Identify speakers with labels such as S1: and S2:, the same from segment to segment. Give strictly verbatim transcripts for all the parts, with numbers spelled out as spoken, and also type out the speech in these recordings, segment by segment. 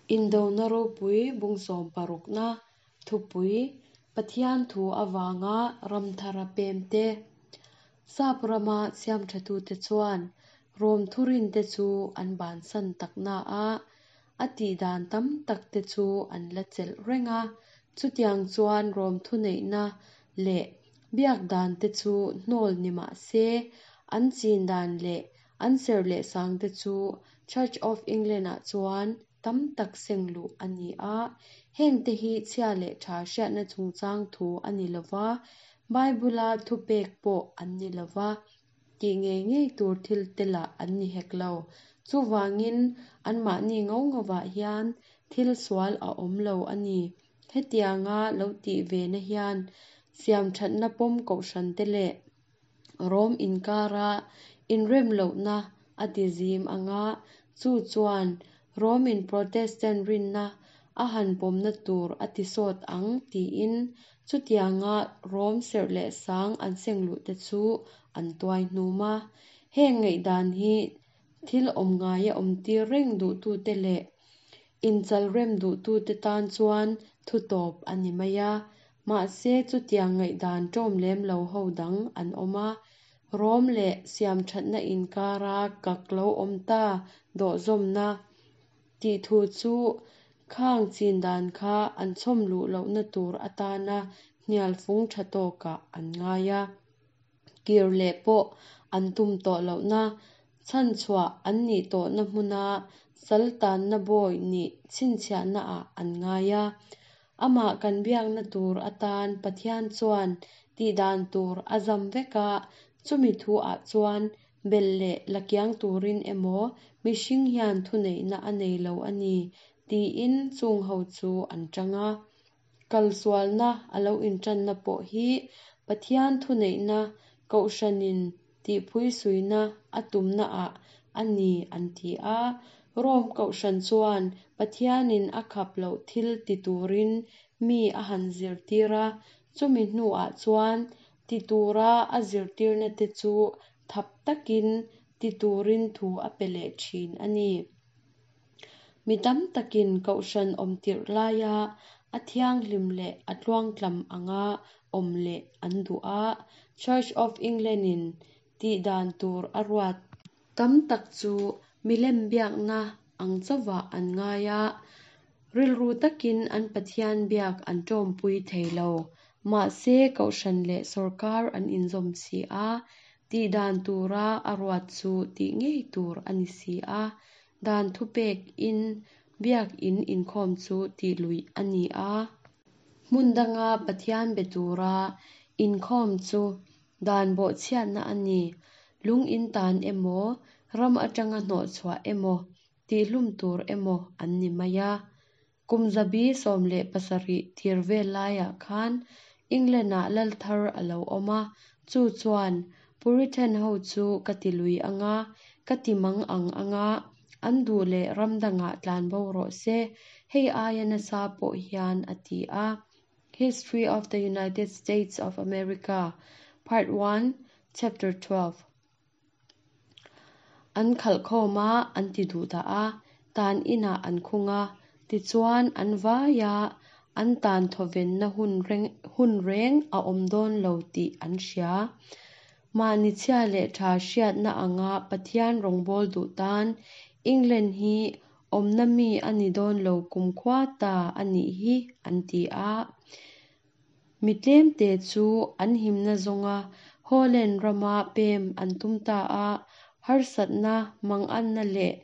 S1: Indona ropui bung sawm parukna thupui Pathian thu avanga ram thara pem te. Sap rama siam thatute chuan Rom thurin te chu an bansan takna a, a tih dan tam tak te chu an la chelh reng a. Chutiang chuan Rom thuneihna leh biak dan te chu hnawl ni mah se, an chin dan leh an serh leh sang te chu Church of England-ah chuan tam tak seng luh a ni a. Heng te hi chhia leh tha hriatna chungchang thu a ni lova, Bible-a thupek pawh an ni lova, tih ngei ngei tur thil te lah an ni hek lo. Chuvangin anmahni ngo ngovah hian thil sual a awm lo a ni. Hetianga lo tih ve na hian siam thatna pawm kohhran te leh Rom inkara inrem lohna a ti zim anga, chu chuan Romin Protestant rinna a han pawmna tur a ti sawt ang tiin chutianga Rom serh leh sang an seng luh te chu an tuai hnum a. Heng ngaihdan hi thil awm ngaia awm tir reng duhtute leh inchal rem duhtute tan chuan thu tawp a ni mai a. Mahse chutiang ngaihdan ṭawm lem lo ho dang an awm a. Rom leh siam thatna inkara kak lo awm ta dawhzawmna tih thu chu khang chin dan kha an chhawm luh lohna tur atana hnial fung tha tawkah an ngai a. Kir leh pawh an tum tawh lohna, chhan chhuah an nih tawhna hmuna saltanna bawi nih chhinchhiahna ah an ngai a. Amah kan biakna tur atan Pathian chuan tih dan tur a zam vek a, chumi thu ah chuan bel leh lakiang turin emaw mihring hian thuneihna a nei lo a ni tiin chung ho chu an tang a. Kalsualna a lo intanna pawh hi Pathian thuneihna kohhranin tihpui suina a tumna ah a ni an ti a. Rom kohhran chuan Pathianin a khap loh thil ti turin mi a han zirtir a, chumi hnuah chuan ti tura a zirtirna te chu thap takin ti turin thu a pe leh thin a ni. Mi tam takin kohhran awm tirh laia a thianghlim leh a tluangtlam anga awm leh an duh a. Church of England-in tih dan tur a ruat tam tak chu milem biakna ang chauhah an ngai a, rilru takin an Pathian biak an tawmpui thei lo. Mahse kohhran leh sorkar an inzawm si a, tih dan tura a ruat chu tih ngei tur a ni si a. Dan thupek in biak in inkhawm chu tih luih a ni a. Hmun danga Pathian be tura inkhawm chu dan bawhchhiatna a ni. Lung in tan emaw, ram atanga hnawh chhuah emaw, tihhlum tur emaw an ni mai a. Kum zabi sawm leh pasarih tir vel laiah khan England-ah lal thar a lo awm a, chu chuan Puritan ho chu ka ti lui anga, ka ti mang ang anga, an duh leh ram dangah tlanbo rawh se, hei aia nasa pawh hian a ti a. History of the United States of America, Part one, Chapter twelve. An khalh khawm a, an ti duh dah a, tan inah an khung a, tichuan an vaia an tan thawvenna hun reng hun reng a awm dawn lo tih an hria. Mahni chhia leh tha hriatna anga Pathian rawngbâwl duh tan England hi awmna mi a ni dawn lo kumkhua ta a nih hi an ti a. Mi tlemte chu an himna zawnga Holland rama pem an tum ta a, harsatna manganna leh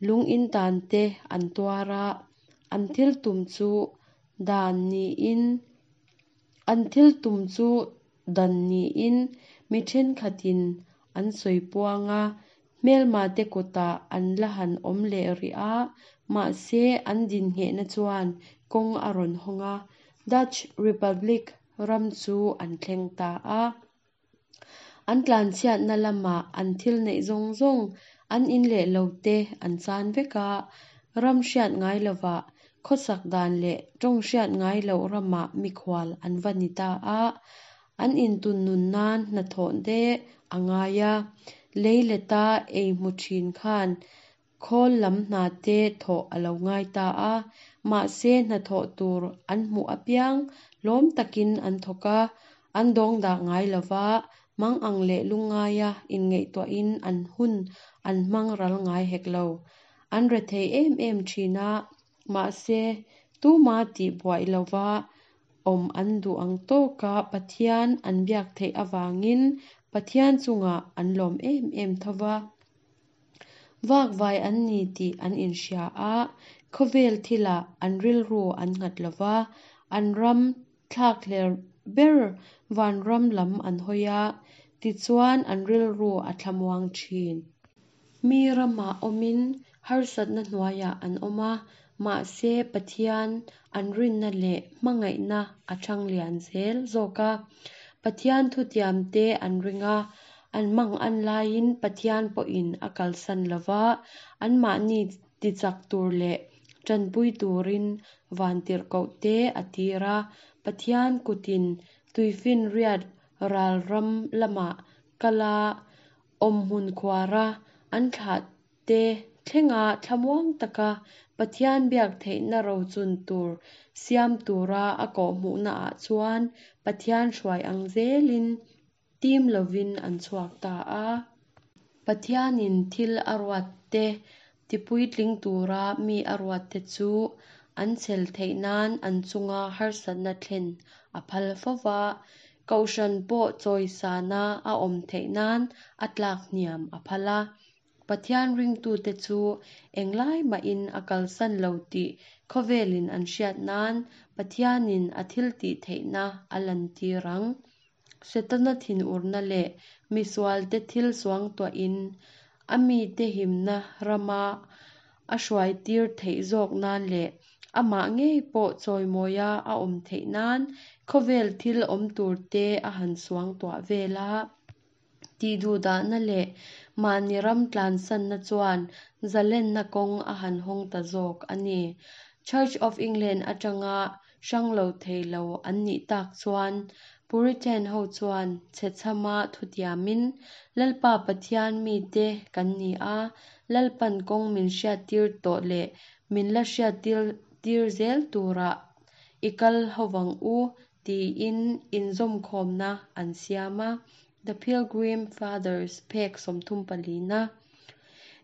S1: lung in tan te an tuar a. An thil tum chu dan niin an thil tum chu dan niin mi thenkhatin an sawi puang a, hmelma te kutah an la han awm leh rih a, mahse an din nghehna chuan kawng a rawn hawng a. Dutch Republic ram chu an thleng ta a. An tlanchhiatna lamah an thil neih zawng zawng an in leh lo te an chan vek a, ram hriat ngai lovah khawsak dan leh tawng hriat ngai loh ramah mikhual an va ni ta a. An intun nun nan hnathawh te a ngai a, lei leta ei hmu thin khan Khawl lam hna te thawh a lo ngai ta a. Mahse hnathawh tur an hmuh apiang lawm takin an thawk a, an dawng dah ngai lo va, mangang leh lungngaia inngaihtuahin an hun an hmang ral ngai hek lo. An rethei em em thin a, mahse tuma tihbuai lova awm an duh ang tawka Pathian an biak theih avangin Pathian chungah an lawm em em tho va. Vakvai an ni tih an inhria a, khawvel thilah an rilru an nghat lo va, an ram thlakhlelh ber vanram lam an hawi a, tichuan an rilru a thlamuang thin. Mi ramah awmin harsatna hnuaiah an awm a, mahse Pathian an rinna leh hmangaihna a thang lian zel zawk a. Pathian thutiamte an ring a, an mangan laiin Pathian pawhin a kalsan lo va, anmahni tichak tur leh tanpui turin vantirhkohte a tir a. Pathian kutin tuifinriat ral ram lamah kala awmhmun khuara an thlahte thlenga thlamuang taka Pathian biak theihna rochun tur siam tura a kawhhmuhnaah chuan Pathian hruai ang zelin tim lovin an chhuak ta a. Pathianin thil a ruatte tipuitling tura mi a ruatte chu an chhel theih nan an chunga harsatna thlen a phal fo va, kohhran pawh chawisana a awm theih nan a tlak hniam a phal a. Pathian ringtute chu englai mahin a kalsan lo tih khawvelin an hriat nan Pathianin a thil tih theihna a lantir ang. Setana thinurna leh misualte thil suangtuahin a mite himna rama a hruaitir theih zawk nan leh amah ngei pawh chawimawia a awm theih nan khawvel thil awm turte a han suangtuah vel a. Tihduhdahna leh mahni ram tlansanna chuan zalenna kawng a han hawng ta zawk a ni. Church of England atanga hrang lo thei lo an nih tak chuan Puritan ho chuan chhechhama thutiamin Lalpa Pathian mite kan ni a, Lalpan kawng min hriattir tawh leh min la hriattir zel tura i kal hovang u tiin inzawmkhawmna an siam a. The Pilgrim Fathers phek sawmthum palina.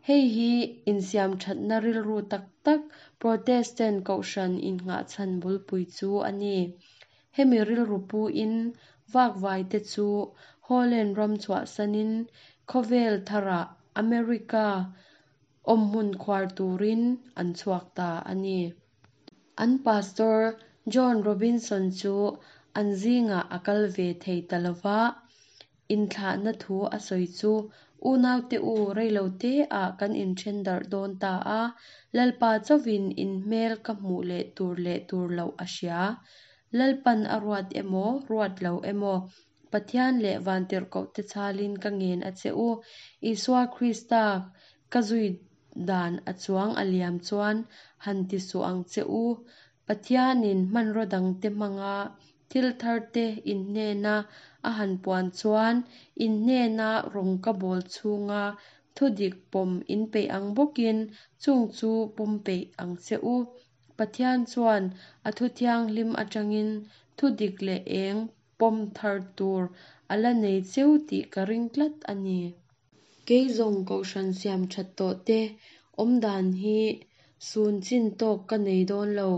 S1: Hei hi insiam thatna rilru tak tak Protestant kohhran innghahchhan bulpui chu a ni. Hemi rilru puin vakvai te chu Holland ram chhuahsanin khawvel tharah America awmhmun khuar turin an chhuak ta a ni. An pastor John Robinson chu an zingah a kal ve thei ta lo va, inthlahna thu a sawi chu unaute u reilote ah kan inthen darh dawn ta a, Lalpa chauhin in hmel ka hmuh leh tur leh tur loh a hria. Lalpan a ruat emaw, ruat lo emaw, Pathian leh vantirhkohte chalin ka ngen a che u. Isua Krista ka zui dan a chuang a liam chuan han ti suh ang che u. Pathianin hmanraw dangte hmanga thil tharte in hnena a han puan chuan in hnena rawng ka bawl chhunga thudik pawm in peih ang bawkin chung chu pawm peih ang che u. Pathian chuan a thu thianghlim atangin thudik leh eng pawm thar tur a la nei cheu tih ka ring tlat a ni. Kei zawng kohhran siam that tawh te awm dan hi sun chin tawk ka nei dawn lo.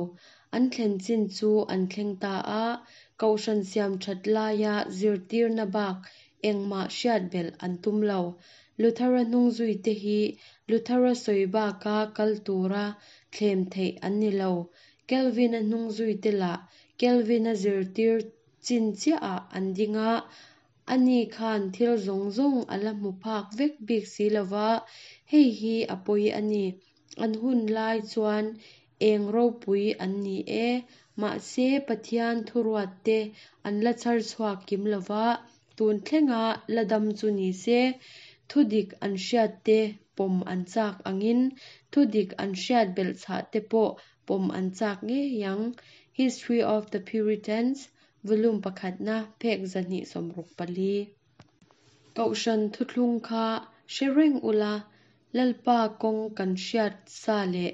S1: An thlen chin chu an thleng ta a, kohhran siam that laia zirtirna bak engmah hriat belh an tum lo. Luthera hnung zui te hi Luthera sawi baka kal tura thlem theih an ni lo. Calvin-a hnung zui te lah Calvin-a zirtir chin chiahah an ding a, ani khan thil zawng zawng a la hmu phak vek bik si lo va, hei hi a pawi a ni. An hun lai chuan eng ropui an ni e, mahse Pathian thuruatte an la chhar chhuak kim lo va, tun thlenga la dam chu ni se, thudik an hriatte pawm an chak angin thudik an hriat belh chhah te pawh pawm an chak ngei ang. History of the Puritans, Volume pakhatna phek zahnih sawmruk pali. Kohhran thuthlung kha hre reng ula, Lalpa kawng kan hriat sa leh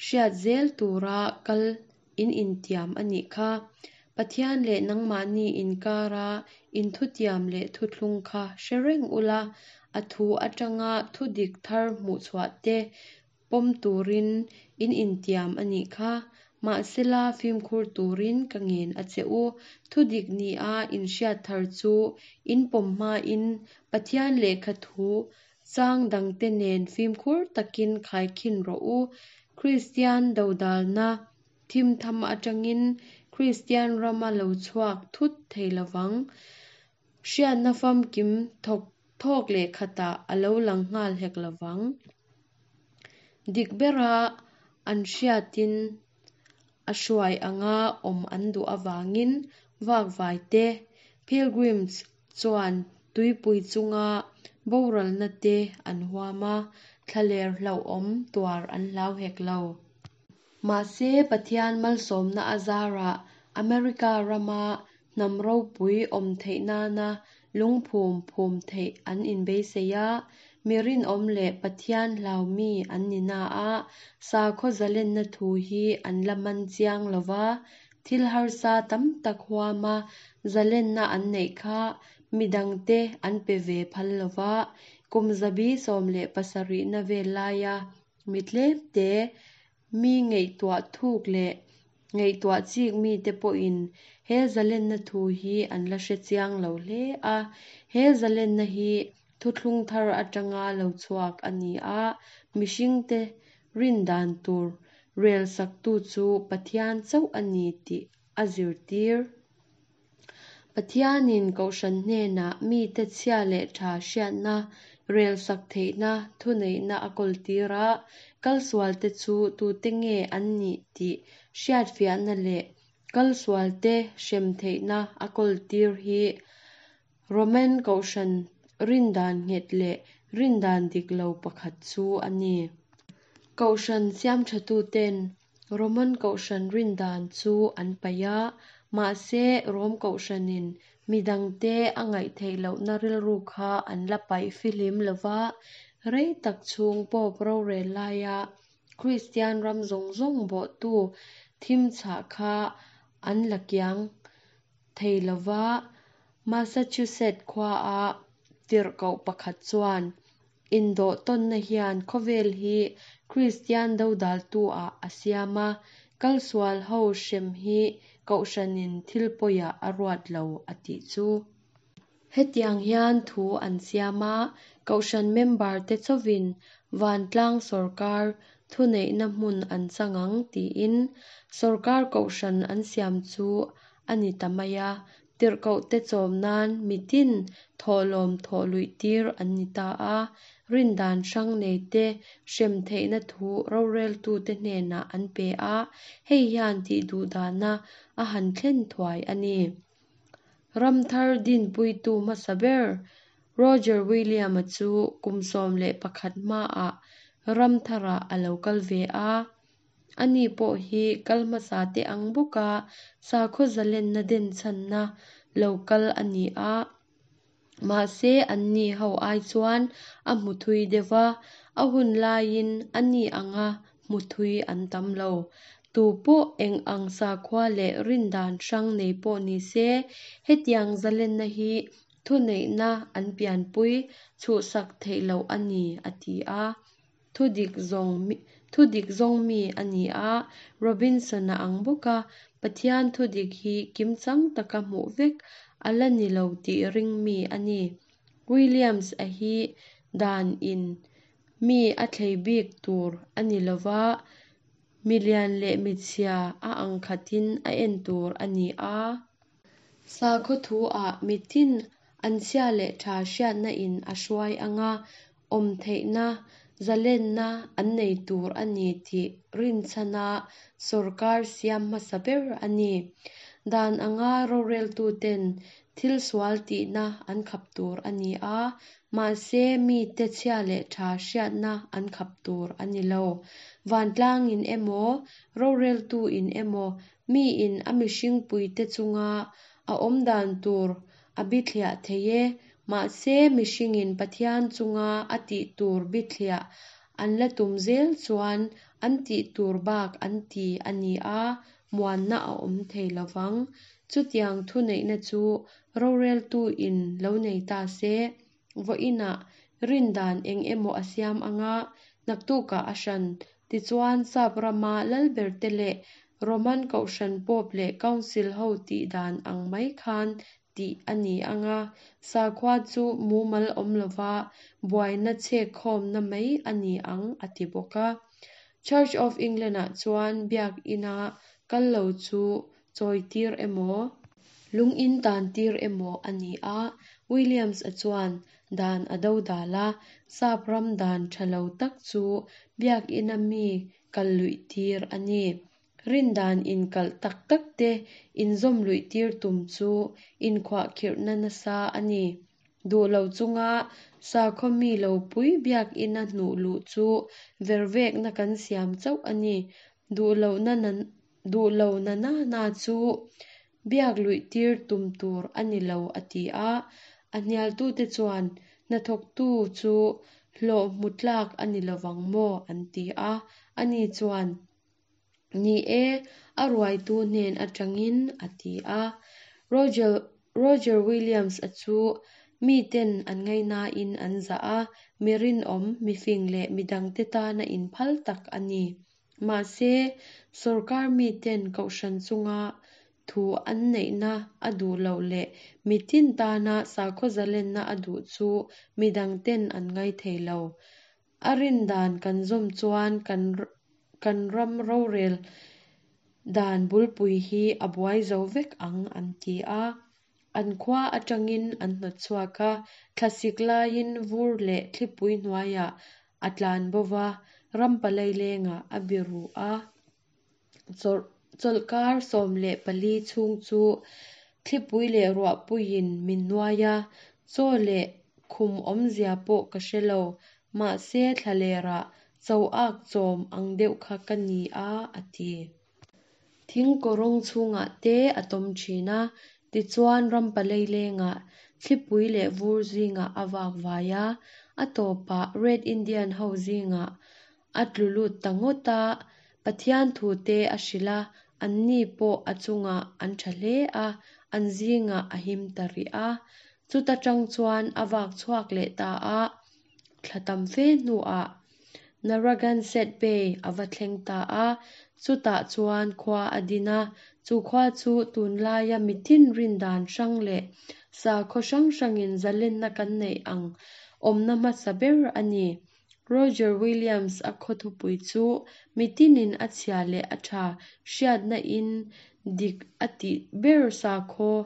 S1: hriat zel tura kal in intiam a nih kha. Pathian leh nangmahni inkara inthutiam leh thuthlung kha hre reng ula, a thu atanga thudik thar hmuhchhuah te pawm turin in intiam a nih kha. Mahsela fimkhur turin ka ngen a che u. Thudik nia in hriat thar chu in pawm hmain Pathian lehkha thu chang dangte nen fimkhur takin khaikhin rawh u. Kristian dodalna thimtham atangin Kristian ram a lo chhuak thut thei lovang. Hriatna famkim thawk thawk leh khatah a lo lang nghal hek lovang. Dik bera an hriatin a hruai anga awm an duh avangin vakvai te, pilgrims, chuan tuipui chunga boralna te an huam a, thlaler hlauhawm tuar an hlau hek lo. Mahse Pathian malsawmna azarah America rama hnam ropui awm theih nana lungphum phum theih an inbeisei a, mi rinawm leh Pathian hlau mi an ni na a, sakhaw zalenna thu hi an la man chiang lova, thil harsa tam tak huama zalenna an neih kha midangte an pe ve phal lova, kum zabi sawm leh pasarihna vel laia mi tlemte mi ngaihtuah thuk leh ngaihtuah chik mite pawhin he zalenna thu hi an la hre chiang lo hle a. He zalenna hi thuthlung thar atanga lo chhuak a ni a, mihringte rindan tur rel saktu chu Pathian chauh a ni tih a zirtir. Pathianin kohhran hnenah mite chhia leh tha hriatna rel sak theihna thuneihna a kawltir a, kalsualte chu tute nge an nih tih hriatfiahna leh kalsualte hrem theihna a kawltir hi Roman kohhran rindan nghet leh rindan dik lo pakhat chu a ni. Kohhran siamthatuten Roman kohhran rindan chu an paih a, mahse Rom kohhranin midangte a ngaih theih lohna rilru kha an la paih fihlim lova, rei tak chhung Pope rorel laia Kristian ram zawng zawng bawhtu thim chhah kha an la kiang thei lova. Massachusetts khua-a tirhkoh pakhat chuan indawh tawnna hian khawvel hi Kristian dodaltu-ah a siam a, kalsual ho hrem hi kohhranin thil pawiah a ruat lo a tih chu. Hetiang hian thu an siam a, kohhran member te chauhin vantlang sorkar thuneihna hmun an chang ang tiin sorkar kohhran an siam chu a ni ta mai a. Tirhkohte chawm nan mitin thawhlawm thawh luih tir an ni ta a, rindan hrang nei te hrem theihna thu roreltute hnenah an pe a, hei hian tihduhdahna a han thlen thuai a ni. Ramthar dinpuitu hmasa ber Roger William-a chu kum sawm leh pakhat hmaah Ramtharah a lo kal ve a. Ani pawh hi kal hmasa te ang bawka sakhaw zalenna denchhanna lo kal a ni a. Mahse anni ho ai chuan a hmu thui deuh va, a hun laiin ani anga hmu thui an tam lo. Tu pawh eng ang sakhua leh rindan hrang nei pawh ni se, hetiang zalenna hi thuneihna an pianpui chhuhsak theih loh a ni a ti a. Thudik zawng thudik zawng mi a ni a, Robinson-a ang bawka Pathian thudik hi kimchang taka hmuh vek a la ni lo tih ring mi a ni. Williams a hi dan in mi a thlei bik tur a ni lova, milian leh michhia a ang khatin a en tur a ni a. Sakhaw thu-ah mitin an chhia leh tha hriatna in a hruai anga awm theihna zalenna an nei tur a ni tih rinchhana sorkar siam hmasa ber a ni. Dan anga roreltuten thil sual tihna an khap tur a ni a, mahse mite chhia leh tha hriatna an khap tur a ni lo. Vantlangin emaw, roreltuin emaw, miin a mihringpuite chunga a awm dan tur a bithliah thei e, mahse mihringin Pathian chunga a tih tur bithliah an la tum zel chuan an tih tur bak an ti a ni a, muanna a awm thei lo vang. Chutiang thuneihna chu roreltuin lo nei ta se, vawiinah rin dan eng emaw a siam ang a, naktukah a hran. Tichuan, Sap rama lalberte leh Roman Kohhran Pope leh Council ho tih dan ang mai khan tih a ni ang a, sakhua chu mumal awm lova buaina chhekkhawmna mai a ni ang a ti bawk a. Church of England-ah chuan biak ina kal lo chu chawitir emaw, lung in tantir emaw a ni a. Williams-a chuan dan a dodal a, Sap ram dan tha lo tak chu biak ina mi kal luihtir a ni. Rin dan inkalh tak takte inzawm luihtir tum chu inkhuahkhirhna nasa a ni. Duh lo chunga sakhaw mi lo pui biak ina hnuh luh chu vervekna kan siam chauh a ni. Duh lo na na na chu biak luihtir tum tur a ni lo a ti a. A hnialtute chuan hnathawktu chu hlawh hmu tlak a ni lovang maw an ti a. Ani chuan, Ni e, a ruaitu hnen atangin a ti a. Roger Roger Williams-a chu miten an ngainain an zah a, mi rinawm, mi fing leh mi dangte tana inphal tak a ni. Mahse, sorkar miten kohhran chunga thu an neihna a duh loh leh mitin tana sakhaw zalenna a duh chu mi dangten an ngai thei lo. A rin dan kan zawm chuan kan kan ram rorel dan bulpui hi a buai zo vek ang an ti a. An khua atangin an hnawtchhuak a, thlasik laiin vur leh thlipui hnuaiah a tlan bo va, ram palailengah a biru a. Chawlhkar sawm leh pali chhung chu thlipui leh ruahpuiin min nuai a, chaw leh khum awmzia pawh ka hre lo. Mahse thlalerah cho-ak chawm ang deuh kha ka ni a, a ti. Thing kawrawng chhungah te a tawm thin a, tichuan ram palailengah thlipui leh vur zingah a vak vai a, a tawpah Red Indian ho zingah a tlu lut ta ngawt a, Pathian thu te a hrilh a, anni pawh a chungah an tha hle a, an zingah a him ta rih a. Chuta tang chuan a vak chhuak leh ta a, thla tam fe hnuah Narragansett Bay a va thleng ta a, chutah chuan khua a din a, chu khua chu tunlaia mitin rin dan hrang leh sakhaw hrang hrangin zalenna kan neih ang awmna hmasa ber a ni. Roger Williams a khaw thupui chu mitinin a chhia leh a tha hriatna in dik a tih ber sakhaw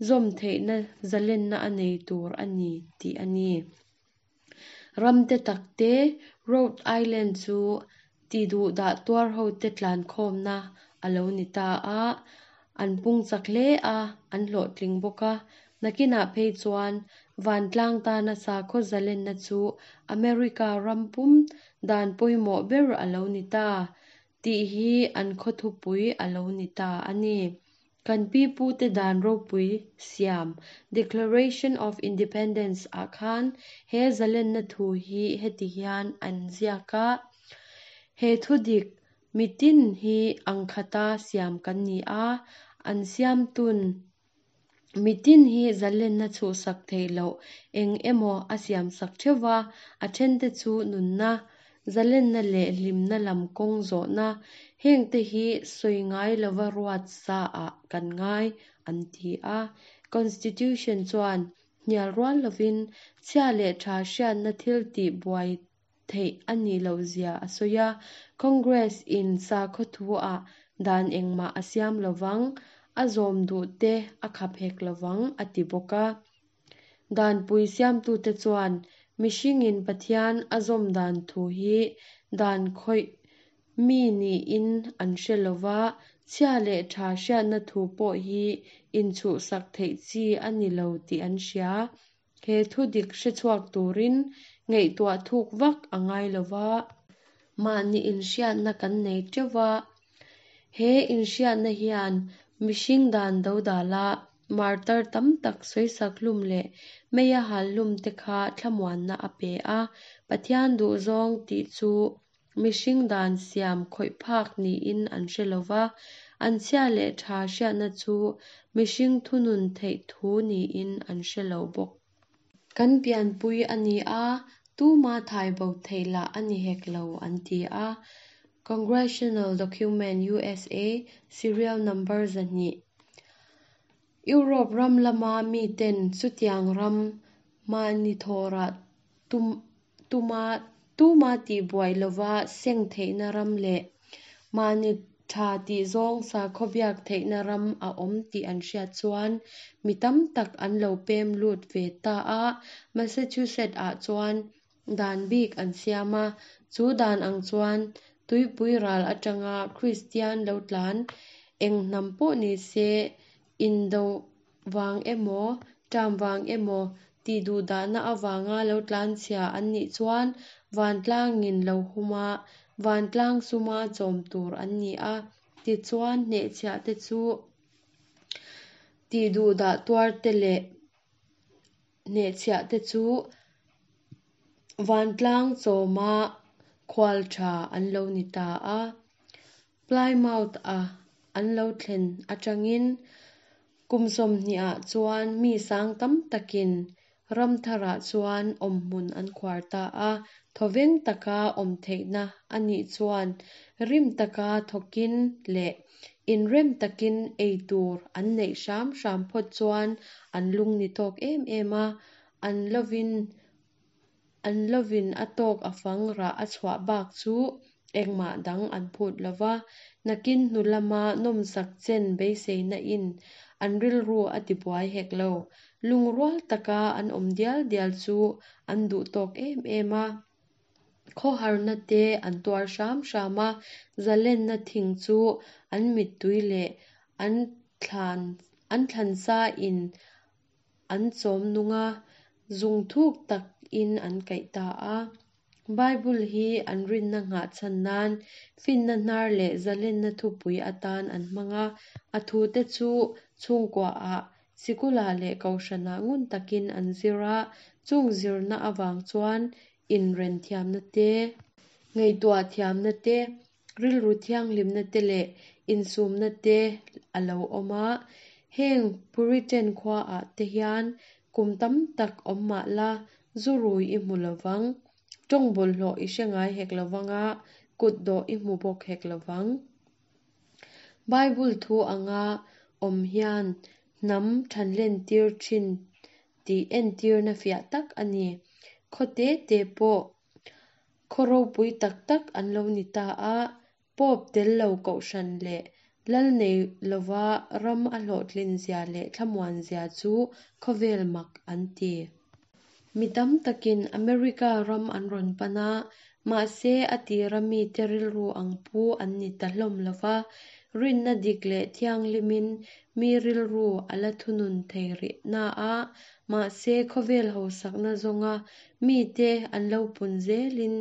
S1: zawm theihna zalenna a nei tur a ni tih a ni. Ram te tak te Rhode Island chu tiduhdah tuar ho te tlankhawmna a lo ni ta a, an pung chak hle a, an hlawhtling bawk a. Nakinah phei chuan vantlang tana sakhaw zalenna chu America ram pum dan pawimawh ber a lo ni ta tih hi an khaw thupui a lo ni ta a ni. Kan pipute dan ropui siam Declaration of Independence ah khan he zalenna thu hi heti hian an ziak a, He thudik mitin hi ang khata siam kan ni a, an siamtun mitin hi zalenna chhuhsak theih loh eng emaw a siamsak theuh a, a thente chu nunna, zalenna leh hlimna lam kawng zawhna, hengte hi sawi ngai lova ruat sa ah kan ngai an ti a. Constitution chuan hnial rual lovin chhia leh tha hriatna thil tih buai theih a nih lohzia a sawi a. Congress in sakhaw thu ah dan engmah a siam lovang, a zawm duh te a khap hek lovang a ti bawk a. Danpui siamtute chuan mihringin Pathian a zawm dan thu hi dan khawih mi niin an hre lova, chhia leh tha hriatna thu pawh hi inchhuhsak theih chi a ni lo tih an hria. He thudik hrechhuak turin ngaihtuah thuk vak a ngai lova, mahni inhriatna kan nei teuh va. He inhriatna hian mihring dan dodala martar tam tak sawisak hlum leh meia hal hlum te kha thlamuanna a pe a. Pathian duhzawng tih chu mihring dan siam khawih phak niin an hre lo va, an chhia leh tha hriatna chu mihring thunun theih thu niin an hre lo bawk. Kan pianpui a ni a, tuma thai bo theih lah a ni hek lo, an ti a. Congressional Document U S A, Serial Number zahnih. Europe ram lama miten chutiang ram mahni thawhrah tum, tuma, tuma tihbuai lova seng theihna ram leh mahni tha tih zawng sakhaw biak theihna ram a awm tih an hriat chuan mi tam tak an lo pem lut ve ta a. Massachusetts ah chuan dan bik an siam a, chu dan ang chuan tuipui ral atanga Kristian lo tlan eng hnam pawh ni se indo wang emaw ṭam wang emaw tih duhdahna awanga lo tlan chhia an nih chuan vantlangin lo huma vantlang suma chawm tur an ni a. Tichuan hnehchhiah te chu tih duhdah tuar te leh hnehchhiah te chu vantlang chawma khual tha an lo ni ta a. Plymouth a an lo thlen atangin kum sawmhnih ah chuan mi sang tam takin ram tharah chuan awmhmun an khuar ta a. Thawveng taka awm theihna anih chuan rim taka thawkin leh inrem takin ei tur an neih hram hram phawt chuan an lung ni tawk em em a. An lovin an lovin a tawk a fang rah a chhuah bak chu engmah dang an phut lova. Nakin hnu lama nawmsak chen beiseina in an rilru a tibuai hek lo. Lungrual taka an awm dial dial chu an duh tawk em em a. Khawharna te an tuar hram hram a, zalenna thing chu an mittui leh an thlan an thlansa in an chawm nung a, zung thuk tak in an kaih ta a. Bible hi an rinna ngah chan nan finna hnar leh zalenna thupui atan an hmang a. A thu te chu chhungkua ah sikula leh kohhrana ngun takin an zir a, chung zirna awang chuan inren thiamna te, ngaihtuah thiamna te, rilru thianghlimna te leh insumna te a lo awm a. Heng Puritan khua ah te hian kum tam tak awm mah la zurui i hmu lovang, tawng bawlhhlawh i hre ngai hek lovanga, kut dawh i hmu bawk hek lovang. Bible thu anga awm hian hnam thanlen tir thin tih entirna fiah tak a ni. Khaw te te pawh khaw ropui tak tak an lo ni ta a. Pope tel lo kohhran leh lal nei lova ram a hlawhtlin zia leh thlamuan zia chu khawvel mak an ti. Mi tam takin America ram an rawn pan a, mahse a tira mite rilru ang pu an ni ta hlawm lova. Rinna dik leh thianghlimin mi rilru a la thunun thei rih na a, mahse khawvel hausakna zawnga mite an lo pun zelin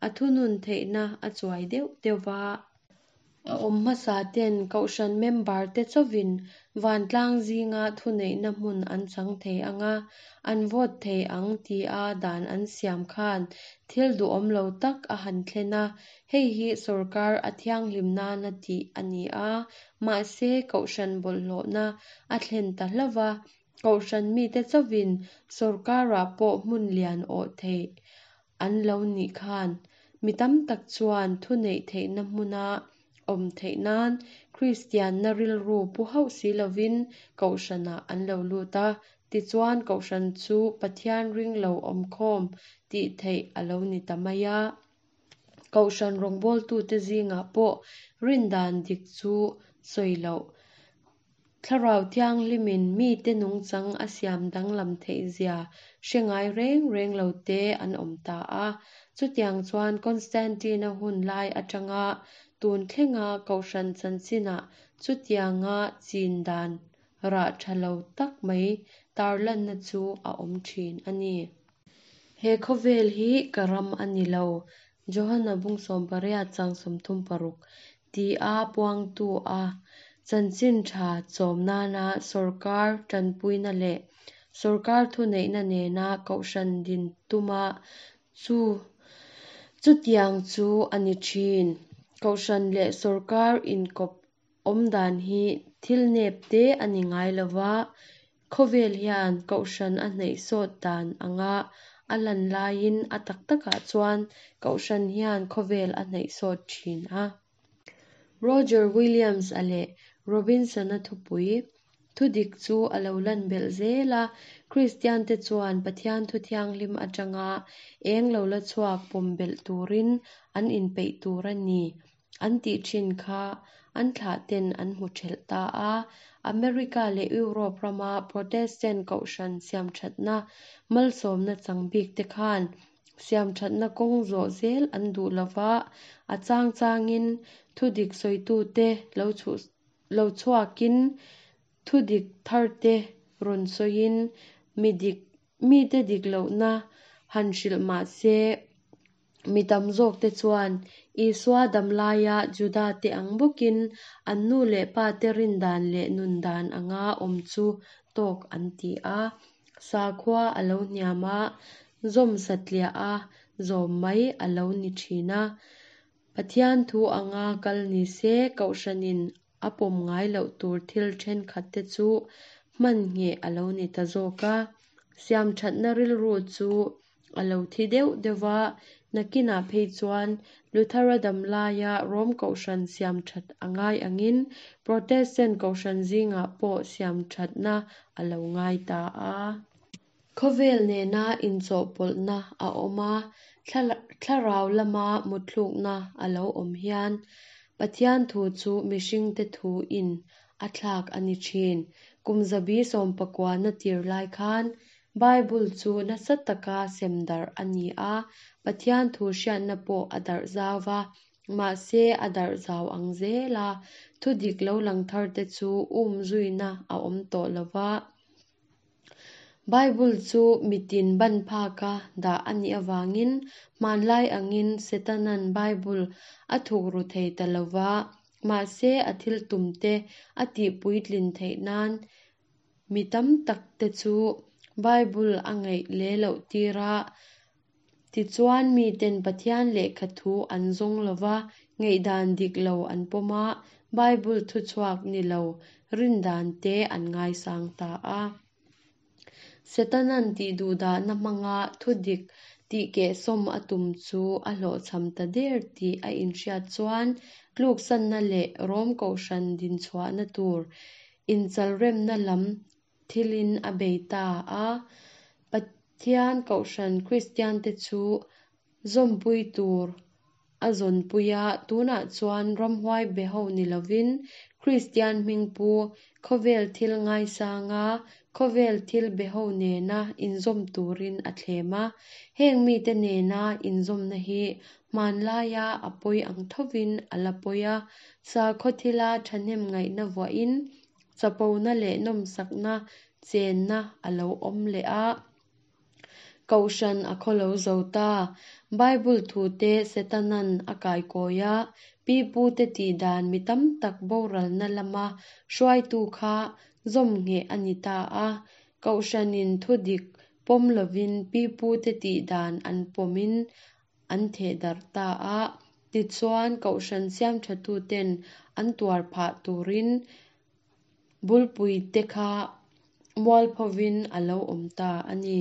S1: a thunun theihna a chuai deuh deuh va. A awm hmasa ten kohhran member te chawin vantlang zinga thuneihna hmun an chang thei anga, an vote thei ang tia dan an siam khan thil duhawm lo tak a han thlen a. Hei hi sorkar a thianghlim nana tih a ni a, mahse kohhran bawlhhlawhna a thlen ta hlauh a. Kohhran mite chawin sorkarah pawh hmun lian awh thei an lo nih khan mi tam tak chuan thuneih theihna hmuna awm theih nan Kristianna rilru pu hauh si lovin kohhranah an lo lut a. Tichuan kohhran chu Pathian ring lo awm khawm tih theih a lo ni ta mai a. Kohhran rawngbawltute zingah pawh rindan dik chu sawi loh. Thlarau thianghlimin mite nungchang a siam danglam theih zia hre ngai reng reng lo te an awm ta a. Chutiang chuan Constantine-a hun lai atanga tun thlenga kohhran chanchinah chutianga chin dan rah tha lo tak mai tarlanna chu a awm thin a ni. He khawvel hi ka ram a ni lo, Johana bung sawm pariat chang sawmthum paruk tia puangtu a. Chanchin tha chawm nana sawrkar tanpuina leh sawrkar thuneihna nena kohhran din tuma chu chutiang chu a ni thin. Kohhran leh sawrkar inkawp awm dan hi thil nep te a ni ngai lova, khawvel hian kohhran a hnaih sawt dan anga a lan laiin a tak takah chuan kohhran hian khawvel a hnaih sawt thin a. Roger Williams-a leh Robinson-a thupui, Thudik chu a lo lan belh zel a, Kristiante chuan Pathian thu thianghlim atanga eng lo la chhuak pawm belh turin an inpeih tur a ni, an tih thin kha an thlahten an hmu thelh ta a. America leh Europe rama Protestant kohhran siamthatna malsawmna chang bik te khan siamthatna kawng zawh zel an duh lova, a chang changin thudik sawitute lo lo chhuakin thudik tharte rawn sawiin mi dik mite dik lohna han hrilh mahse mi tam zawk te chuan Isua damlaia Juda te ang bawkin an nu leh pa te rin dan leh nun dan anga awm chu tawk an ti a. Sakhua a lo hniam a, zawm satliah a, zawm mai a lo ni thin a. Pathian thu anga kal ni se kohhranin a pawm ngai loh tur thil thenkhat te chu hman ngheh a lo ni ta zawk a. Siamthatna rilru chu a lo thi deuh deuh va, nakinah phei chuan Luthera damlaia Rom kohhran siamthat a ngai angin Protestant kohhran zingah pawh siamthatna a lo ngai ta a. Khawvel nena inchawhpawlhna a awm a, thlarau lama mutthlukna a lo awm hian Pathian thu chu mihringte thu in a thlak a ni thin. Kum zabi sawmpakuana tir lai khan Bible chu nasa taka sem darh a ni a, Pathian thu hriatna pawh a darh zau va, mahse a darh zau ang zel a, thudik lo lang thar te chu um zuina a awm tawh lova. Bible chu mitin ban phaka dah a nih awangin hmanlai angin Setanan Bible a thukru thei ta lova, mahse a thil tum te a tihpuitlin theih nan mi tam tak te chu Bible a ngaih le loh tir a, tichuan miten Pathian lehkha thu an zawng lova, ngaihdan dik lo an pawm a, Bible thuchhuak ni lo rin dan te an ngaisang ta a. Setanan tihduhdahna hmanga thudik tihkehsawm a tum chu a hlawhchham ta der tih a inhriat chuan tluksanna leh Rom kohhran dinchhuahna tur inchalremna lam thilin a bei ta a. Pathian kohhran Kristian te chu zawmpui tur a zawnpui a, tunah chuan ramhuai be ho ni lovin Kristian hmingpu khawvel thil ngaisanga khawvel thil be ho nena inzawm turin a thlem a. Heng mite nena inzawmna hi hmanlaia a pawi ang thovin a la pawi a, sakhaw thila thahnem ngaihna vuahin chapona leh nawmsakna chenna a lo awm leh a. Kohhran a khawlo zo ta. Bible thu te Setanan a kaikawi a, pipu te tihdan mi tam tak boralna lama hruaitu kha zawm ngheh a ni ta a. Kohhranin thudik pawm lovin pipu te tihdan an pawmin an thehdarh ta a. Tichuan kohhran siamthatuten an tuar phah turin bulpui te kha mualphovin a lo awm ta a ni.